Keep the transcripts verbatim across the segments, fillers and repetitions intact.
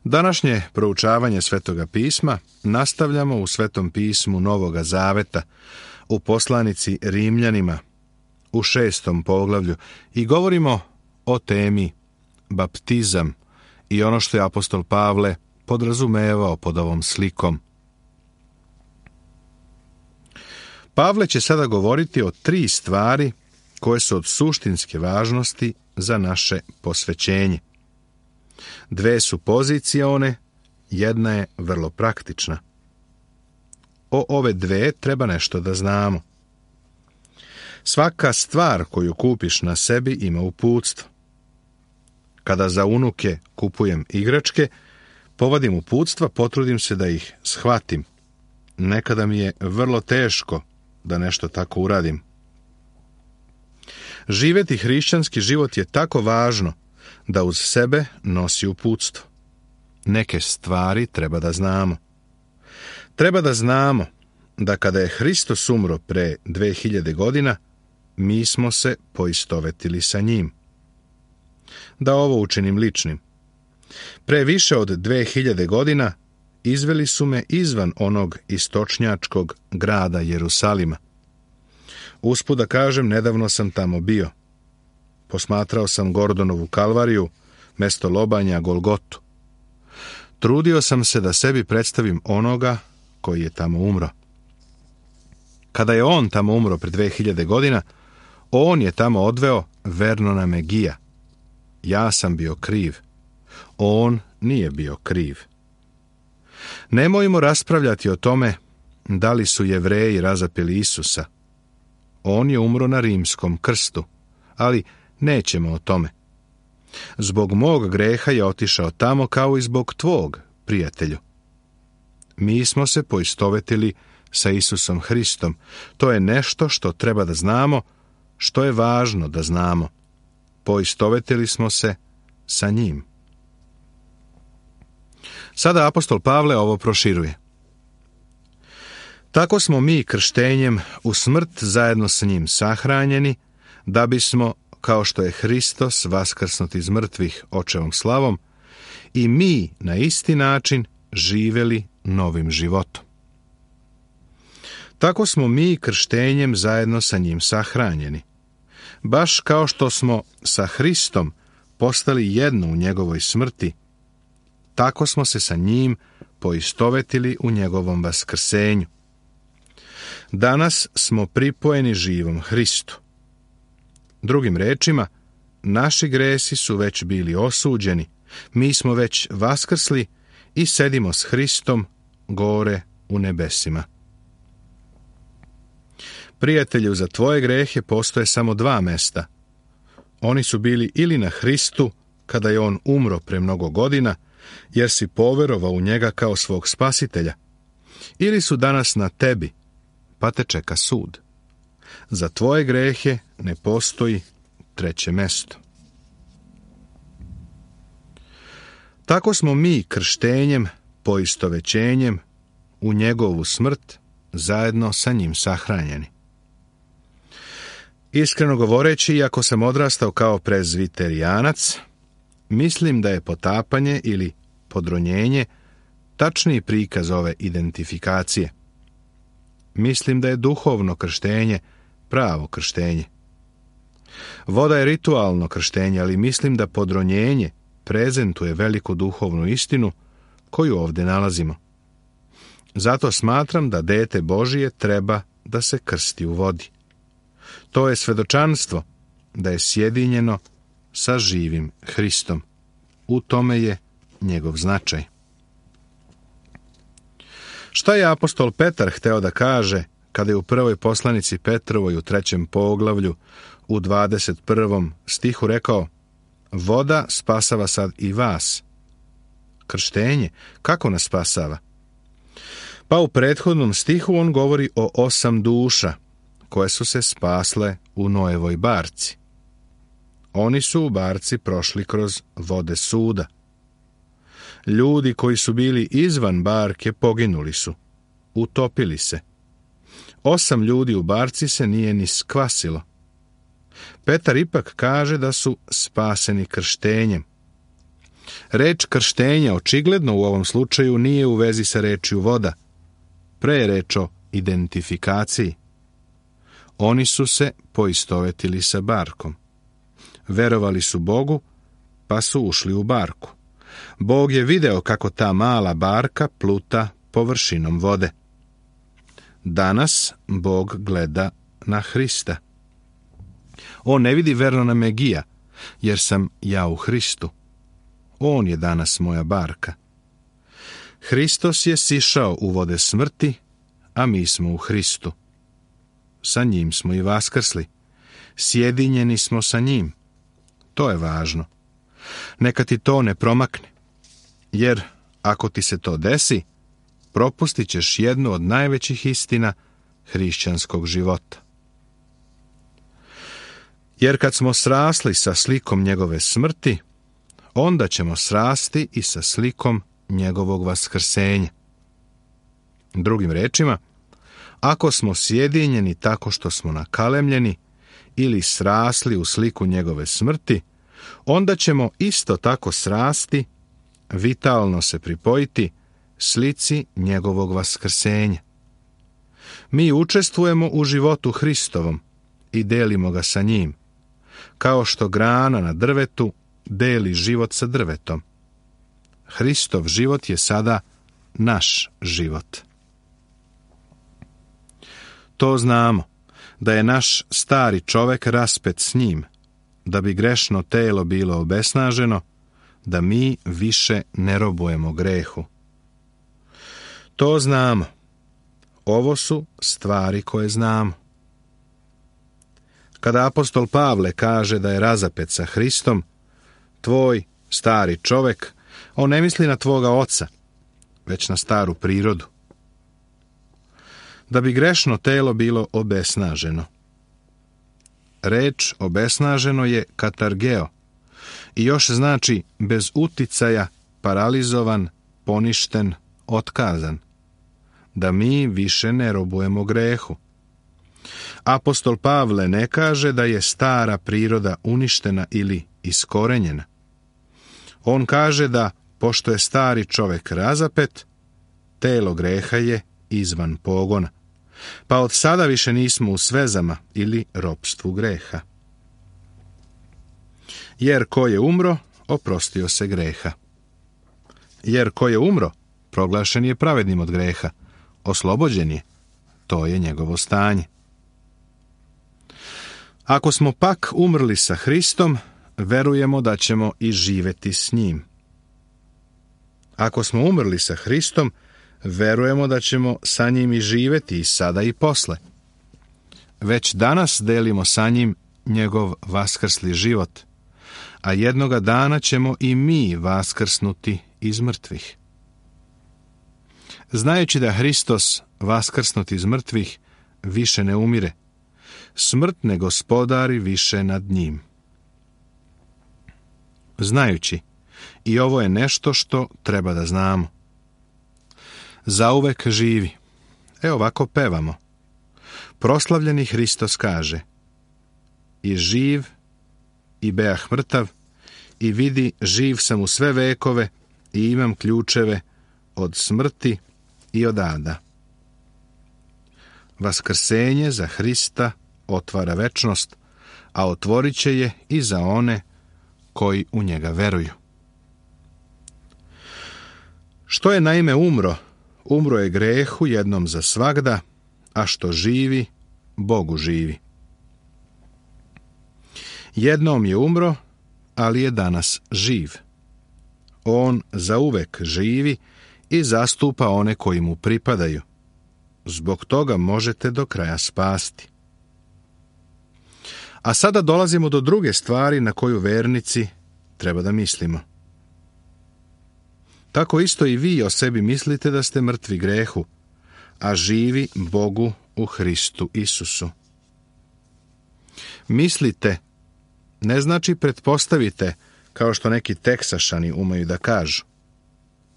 Današnje proučavanje Svetoga pisma nastavljamo u Svetom pismu Novoga Zaveta, u poslanici Rimljanima, u šestom poglavlju, i govorimo o temi baptizam i ono što je apostol Pavle podrazumevao pod ovom slikom. Pavle će sada govoriti o tri stvari koje su od suštinske važnosti za naše posvećenje. Dve su pozicione, jedna je vrlo praktična. O ove dve treba nešto da znamo. Svaka stvar koju kupiš na sebi ima uputstvo. Kada za unuke kupujem igračke, povadim uputstva, potrudim se da ih shvatim. Nekada mi je vrlo teško da nešto tako uradim. Živjeti hrišćanski život je tako važno da uz sebe nosi uputstvo. Neke stvari treba da znamo. Treba da znamo da kada je Hristos umro pre dve hiljade godina, mi smo se poistovetili sa njim. Da ovo učinim ličnim. Pre više od dve hiljade godina izveli su me izvan onog istočnjačkog grada Jerusalima. Usput da kažem, nedavno sam tamo bio. Posmatrao sam Gordonovu kalvariju, mesto lobanja Golgotu. Trudio sam se da sebi predstavim onoga koji je tamo umro. Kada je on tamo umro pre dve hiljade godina, on je tamo odveo Vernona Megija. Ja sam bio kriv. On nije bio kriv. Nemojmo raspravljati o tome da li su Jevreji razapeli Isusa. On je umro na rimskom krstu, ali nećemo o tome. Zbog mog greha je otišao tamo kao i zbog tvog, prijatelju. Mi smo se poistovetili sa Isusom Hristom. To je nešto što treba da znamo, što je važno da znamo. Poistovetili smo se sa njim. Sada apostol Pavle ovo proširuje. Tako smo mi krštenjem u smrt zajedno s njim sahranjeni, da bismo, kao što je Hristos vaskrsnut iz mrtvih očevom slavom, i mi na isti način živeli novim životom. Tako smo mi krštenjem zajedno sa njim sahranjeni. Baš kao što smo sa Hristom postali jedno u njegovoj smrti, tako smo se sa njim poistovetili u njegovom vaskrsenju. Danas smo pripojeni živom Hristu. Drugim rečima, naši gresi su već bili osuđeni, mi smo već vaskrsli i sedimo s Hristom gore u nebesima. Prijatelju, za tvoje grehe postoje samo dva mesta. Oni su bili ili na Hristu, kada je on umro pre mnogo godina, jer si poverovao u njega kao svog spasitelja, ili su danas na tebi, pa te čeka sud. Za tvoje grehe ne postoji treće mesto. Tako smo mi krštenjem, poistovećenjem u njegovu smrt zajedno sa njim sahranjeni. Iskreno govoreći, iako sam odrastao kao prezviterijanac, mislim da je potapanje ili podronjenje tačniji prikaz ove identifikacije. Mislim da je duhovno krštenje pravo krštenje. Voda je ritualno krštenje, ali mislim da podronjenje prezentuje veliku duhovnu istinu koju ovdje nalazimo. Zato smatram da dete Božije treba da se krsti u vodi. To je svedočanstvo da je sjedinjeno sa živim Hristom. U tome je njegov značaj. Šta je apostol Petar hteo da kaže kada je u prvoj poslanici Petrovoj u trećem poglavlju u dvadeset prvom stihu rekao: voda spasava sad i vas. Krštenje, kako nas spasava? Pa u prethodnom stihu on govori o osam duša koje su se spasle u Noevoj barci. Oni su u barci prošli kroz vode suda. Ljudi koji su bili izvan barke poginuli su, utopili se. Osam ljudi u barci se nije ni skvasilo. Petar ipak kaže da su spaseni krštenjem. Reč krštenja očigledno u ovom slučaju nije u vezi sa rečju voda, pre je reč o identifikaciji. Oni su se poistovetili sa barkom. Verovali su Bogu, pa su ušli u barku. Bog je video kako ta mala barka pluta površinom vode. Danas Bog gleda na Hrista. On ne vidi Vernona Megija, jer sam ja u Hristu. On je danas moja barka. Hristos je sišao u vode smrti, a mi smo u Hristu. Sa njim smo i vaskrsli. Sjedinjeni smo sa njim. To je važno. Neka ti to ne promakne. Jer ako ti se to desi, propustit ćeš jednu od najvećih istina hrišćanskog života. Jer kad smo srasli sa slikom njegove smrti, onda ćemo srasti i sa slikom njegovog vaskrsenja. Drugim rečima, ako smo sjedinjeni tako što smo nakalemljeni ili srasli u sliku njegove smrti, onda ćemo isto tako srasti, vitalno se pripojiti slici njegovog vaskrsenja. Mi učestvujemo u životu Hristovom i delimo ga sa njim, kao što grana na drvetu deli život sa drvetom. Hristov život je sada naš život. To znamo, da je naš stari čovek raspet s njim, da bi grešno telo bilo obesnaženo, da mi više ne robujemo grehu. To znamo. Ovo su stvari koje znamo. Kada apostol Pavle kaže da je razapet sa Hristom, tvoj stari čovek, on ne misli na tvoga oca, već na staru prirodu. Da bi grešno telo bilo obesnaženo. Reč obesnaženo je katargeo i još znači bez uticaja, paralizovan, poništen, otkazan. Da mi više ne robujemo grehu. Apostol Pavle ne kaže da je stara priroda uništena ili iskorenjena. On kaže da, pošto je stari čovek razapet, telo greha je izvan pogona, pa od sada više nismo u svezama ili ropstvu greha. Jer ko je umro, oprostio se greha. Jer ko je umro, proglašen je pravednim od greha, oslobođen je, to je njegovo stanje. Ako smo pak umrli sa Hristom, verujemo da ćemo i živeti s njim. Ako smo umrli sa Hristom, verujemo da ćemo sa njim i živeti i sada i posle. Već danas delimo sa njim njegov vaskrsli život, a jednoga dana ćemo i mi vaskrsnuti iz mrtvih. Znajući da Hristos, vaskrsnut iz mrtvih, više ne umire, smrt ne gospodari više nad njim. Znajući, i ovo je nešto što treba da znamo. Zauvek živi. E ovako pevamo. Proslavljeni Hristos kaže: i živ, i beah mrtav, i vidi, živ sam u sve vekove, i imam ključeve od smrti i od ada. Vaskrsenje za Hrista otvara večnost, a otvorit će je i za one koji u njega veruju. Što je naime umro, umro je grehu jednom za svagda, a što živi, Bogu živi. Jednom je umro, ali je danas živ. On zauvek živi i zastupa one koji mu pripadaju. Zbog toga možete do kraja spasti. A sada dolazimo do druge stvari na koju vernici treba da mislimo. Tako isto i vi o sebi mislite da ste mrtvi grehu, a živi Bogu u Hristu Isusu. Mislite ne znači pretpostavite, kao što neki Teksašani umeju da kažu.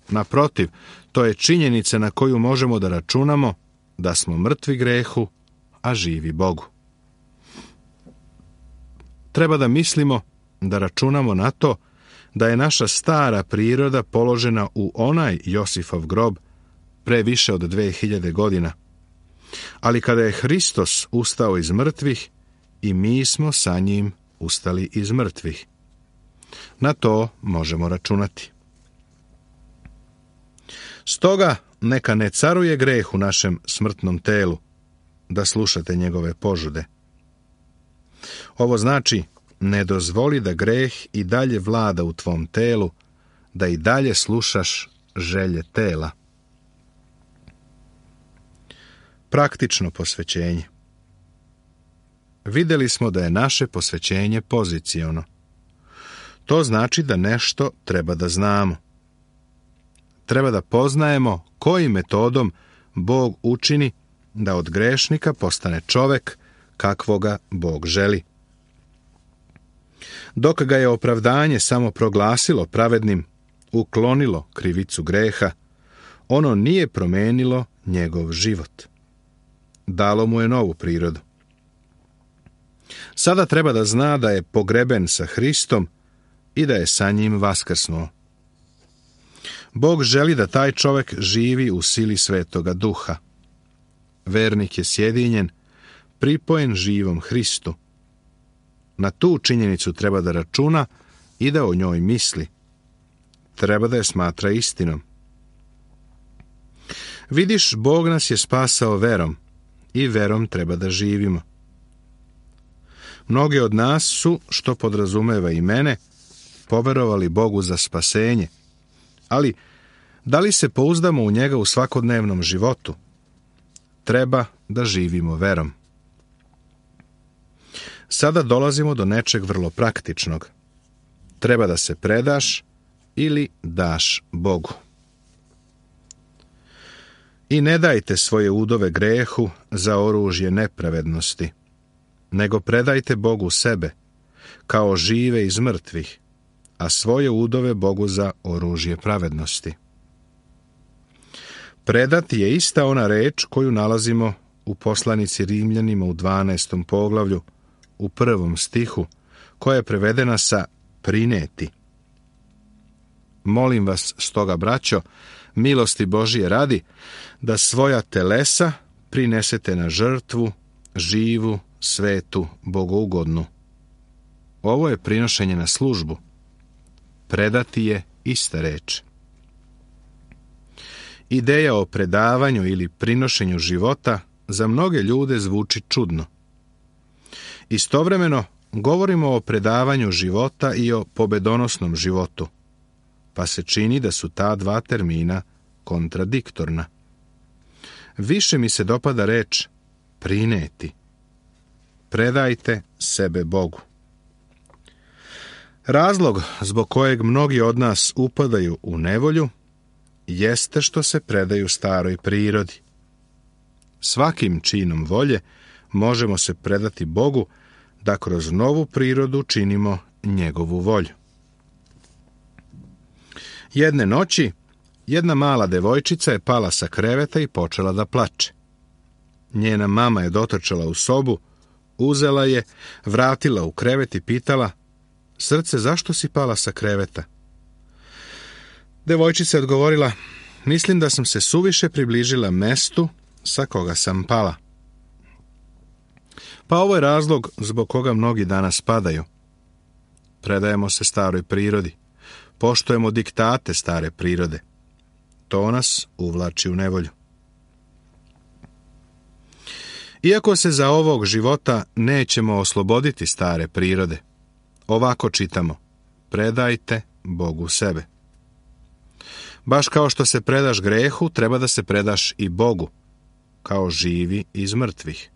Naprotiv, to je činjenica na koju možemo da računamo da smo mrtvi grehu, a živi Bogu. Treba da mislimo, da računamo na to da je naša stara priroda položena u onaj Josifov grob pre više od dve hiljade godina. Ali kada je Hristos ustao iz mrtvih, i mi smo sa njim ustali iz mrtvih. Na to možemo računati. Stoga neka ne caruje greh u našem smrtnom telu, da slušate njegove požude. Ovo znači, ne dozvoli da greh i dalje vlada u tvom telu, da i dalje slušaš želje tela. Praktično posvećenje. Vidjeli smo da je naše posvećenje poziciono. To znači da nešto treba da znamo. Treba da poznajemo kojim metodom Bog učini da od grešnika postane čovek kakvoga Bog želi. Dok ga je opravdanje samo proglasilo pravednim, uklonilo krivicu greha, ono nije promenilo njegov život. Dalo mu je novu prirodu. Sada treba da zna da je pogreben sa Hristom i da je sa njim vaskrsnuo. Bog želi da taj čovek živi u sili Svetoga Duha. Vernik je sjedinjen, pripojen živom Hristu. Na tu činjenicu treba da računa i da o njoj misli. Treba da je smatra istinom. Vidiš, Bog nas je spasao verom i verom treba da živimo. Mnogi od nas su, što podrazumeva i mene, poverovali Bogu za spasenje, ali da li se pouzdamo u njega u svakodnevnom životu? Treba da živimo verom. Sada dolazimo do nečeg vrlo praktičnog. Treba da se predaš ili daš Bogu. I ne dajte svoje udove grehu za oružje nepravednosti, nego predajte Bogu sebe, kao žive iz mrtvih, a svoje udove Bogu za oružje pravednosti. Predati je ista ona reč koju nalazimo u poslanici Rimljanima u dvanaestom poglavlju, u prvom stihu, koja je prevedena sa prineti. Molim vas stoga, braćo, milosti Božije radi, da svoja telesa prinesete na žrtvu, živu, svetu, bogougodnu. Ovo je prinošenje na službu. Predati je ista reč. Ideja o predavanju ili prinošenju života za mnoge ljude zvuči čudno. Istovremeno govorimo o predavanju života i o pobedonosnom životu, pa se čini da su ta dva termina kontradiktorna. Više mi se dopada reč prineti. Predajte sebe Bogu. Razlog zbog kojeg mnogi od nas upadaju u nevolju jeste što se predaju staroj prirodi. Svakim činom volje možemo se predati Bogu da kroz novu prirodu činimo njegovu volju. Jedne noći jedna mala devojčica je pala sa kreveta i počela da plače. Njena mama je dotrčala u sobu, uzela je, vratila u krevet i pitala: "Srce, zašto si pala sa kreveta?" Devojčica je odgovorila: "Mislim da sam se suviše približila mestu sa koga sam pala." Pa ovo je razlog zbog koga mnogi danas padaju. Predajemo se staroj prirodi, poštujemo diktate stare prirode. To nas uvlači u nevolju. Iako se za ovog života nećemo osloboditi stare prirode, ovako čitamo: predajte Bogu sebe. Baš kao što se predaš grehu, treba da se predaš i Bogu, kao živi iz mrtvih.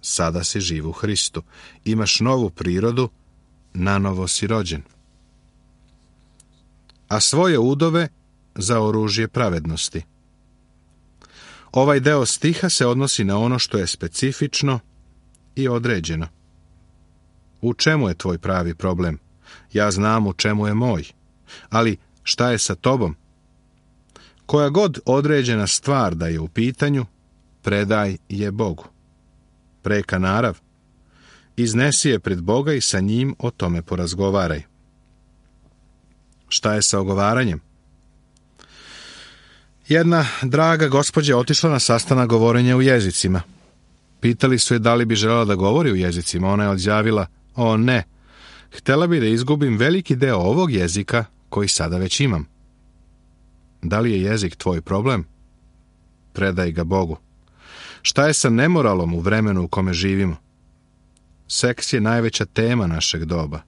Sada si živ u Hristu, imaš novu prirodu, nanovo si rođen. A svoje udove za oružje pravednosti. Ovaj deo stiha se odnosi na ono što je specifično i određeno. U čemu je tvoj pravi problem? Ja znam u čemu je moj. Ali šta je sa tobom? Koja god određena stvar da je u pitanju, predaj je Bogu. Preka narav. Iznesi je pred Boga i sa njim o tome porazgovaraj. Šta je sa ogovaranjem? Jedna draga gospođa je otišla na sastanak govorenja u jezicima. Pitali su je da li bi željela da govori u jezicima. Ona je odjavila, o ne, htjela bi da izgubim veliki deo ovog jezika koji sada već imam. Da li je jezik tvoj problem? Predaj ga Bogu. Šta je sa nemoralom u vremenu u kome živimo? Seks je najveća tema našeg doba.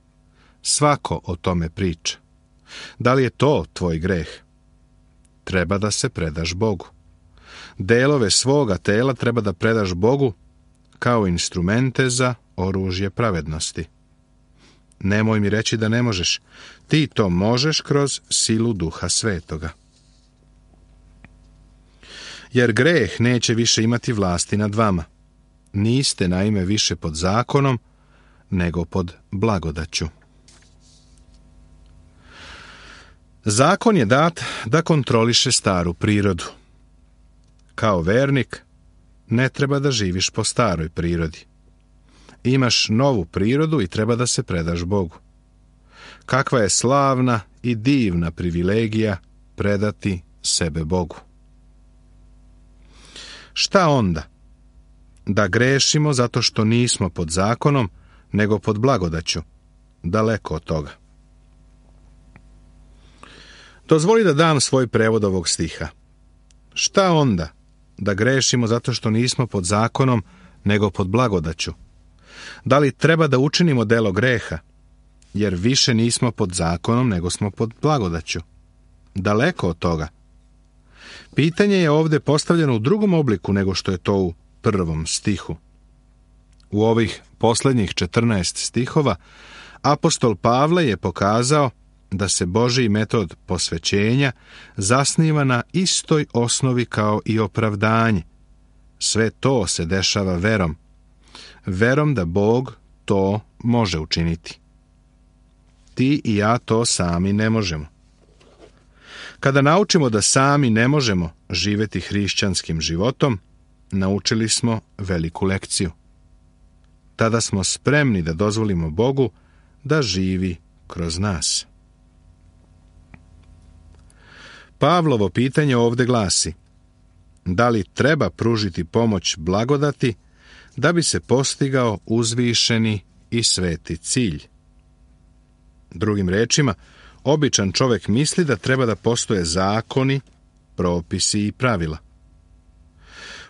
Svako o tome priča. Da li je to tvoj greh? Treba da se predaš Bogu. Delove svoga tela treba da predaš Bogu kao instrumente za oružje pravednosti. Nemoj mi reći da ne možeš. Ti to možeš kroz silu Duha Svetoga. Jer greh neće više imati vlasti nad vama. Niste naime više pod zakonom, nego pod blagodaću. Zakon je dat da kontroliše staru prirodu. Kao vernik, ne treba da živiš po staroj prirodi. Imaš novu prirodu i treba da se predaš Bogu. Kakva je slavna i divna privilegija predati sebe Bogu. Šta onda? Da grešimo zato što nismo pod zakonom, nego pod blagodaću. Daleko od toga. Dozvoli da dam svoj prevod ovog stiha. Šta onda? Da grešimo zato što nismo pod zakonom, nego pod blagodaću. Da li treba da učinimo delo greha? Jer više nismo pod zakonom, nego smo pod blagodaću. Daleko od toga. Pitanje je ovdje postavljeno u drugom obliku nego što je to u prvom stihu. U ovih posljednjih četrnaest stihova apostol Pavle je pokazao da se Božji metod posvećenja zasniva na istoj osnovi kao i opravdanje. Sve to se dešava verom. Verom da Bog to može učiniti. Ti i ja to sami ne možemo. Kada naučimo da sami ne možemo živjeti hrišćanskim životom, naučili smo veliku lekciju. Tada smo spremni da dozvolimo Bogu da živi kroz nas. Pavlovo pitanje ovdje glasi: da li treba pružiti pomoć blagodati da bi se postigao uzvišeni i sveti cilj? Drugim rečima, običan čovjek misli da treba da postoje zakoni, propisi i pravila.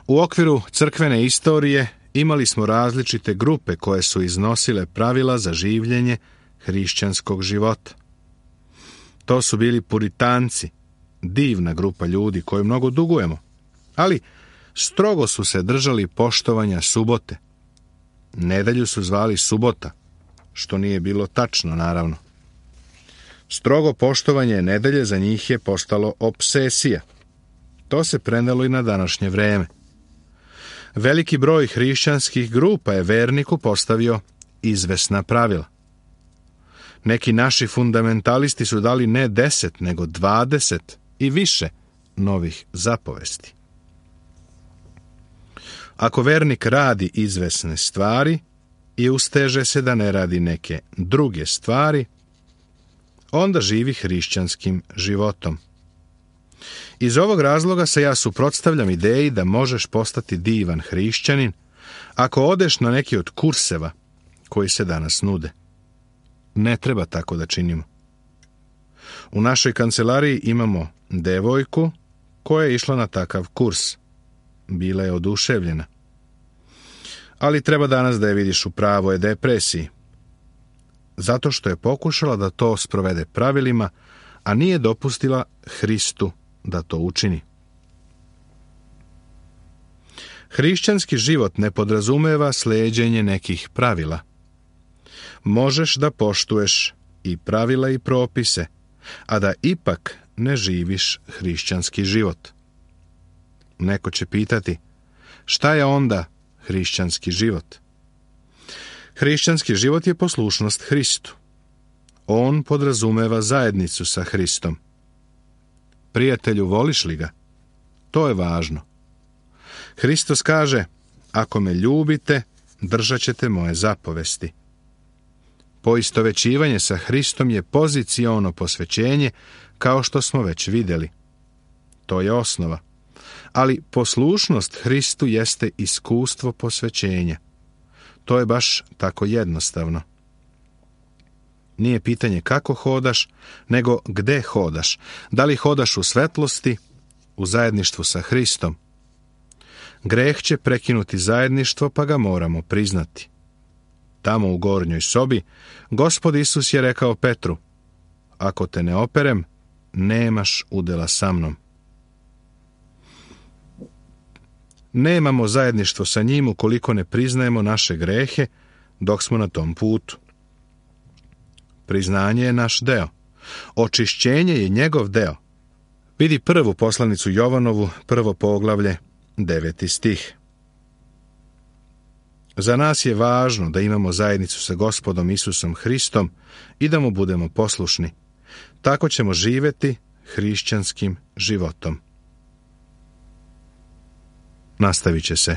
U okviru crkvene istorije imali smo različite grupe koje su iznosile pravila za življenje hrišćanskog života. To su bili puritanci, divna grupa ljudi koju mnogo dugujemo, ali strogo su se držali poštovanja subote. Nedelju su zvali subota, što nije bilo tačno, naravno. Strogo poštovanje nedelje za njih je postalo opsesija. To se prenelo i na današnje vreme. Veliki broj hrišćanskih grupa je verniku postavio izvesna pravila. Neki naši fundamentalisti su dali ne deset, nego dvadeset i više novih zapovesti. Ako vernik radi izvesne stvari i usteže se da ne radi neke druge stvari, onda živi hrišćanskim životom. Iz ovog razloga se ja suprotstavljam ideji da možeš postati divan hrišćanin ako odeš na neki od kurseva koji se danas nude. Ne treba tako da činimo. U našoj kancelariji imamo devojku koja je išla na takav kurs. Bila je oduševljena. Ali treba danas da je vidiš u pravoj depresiji. Zato što je pokušala da to sprovede pravilima, a nije dopustila Hristu da to učini. Hrišćanski život ne podrazumeva slijeđenje nekih pravila. Možeš da poštuješ i pravila i propise, a da ipak ne živiš hrišćanski život. Neko će pitati, šta je onda hrišćanski život? Hrišćanski život je poslušnost Hristu. On podrazumeva zajednicu sa Hristom. Prijatelju, voliš li ga? To je važno. Hristos kaže, ako me ljubite, držat ćete moje zapovesti. Poistovećivanje sa Hristom je poziciono posvećenje, kao što smo već vidjeli. To je osnova. Ali poslušnost Hristu jeste iskustvo posvećenja. To je baš tako jednostavno. Nije pitanje kako hodaš, nego gde hodaš. Da li hodaš u svetlosti, u zajedništvu sa Hristom? Greh će prekinuti zajedništvo, pa ga moramo priznati. Tamo u gornjoj sobi, Gospod Isus je rekao Petru: ako te ne operem, nemaš udjela sa mnom. Nemamo zajedništvo sa njim ukoliko ne priznajemo naše grehe dok smo na tom putu. Priznanje je naš deo. Očišćenje je njegov deo. Vidi prvu poslanicu Jovanovu, prvo poglavlje, deveti stih. Za nas je važno da imamo zajednicu sa Gospodom Isusom Hristom i da mu budemo poslušni. Tako ćemo živjeti hrišćanskim životom. Nastavit će se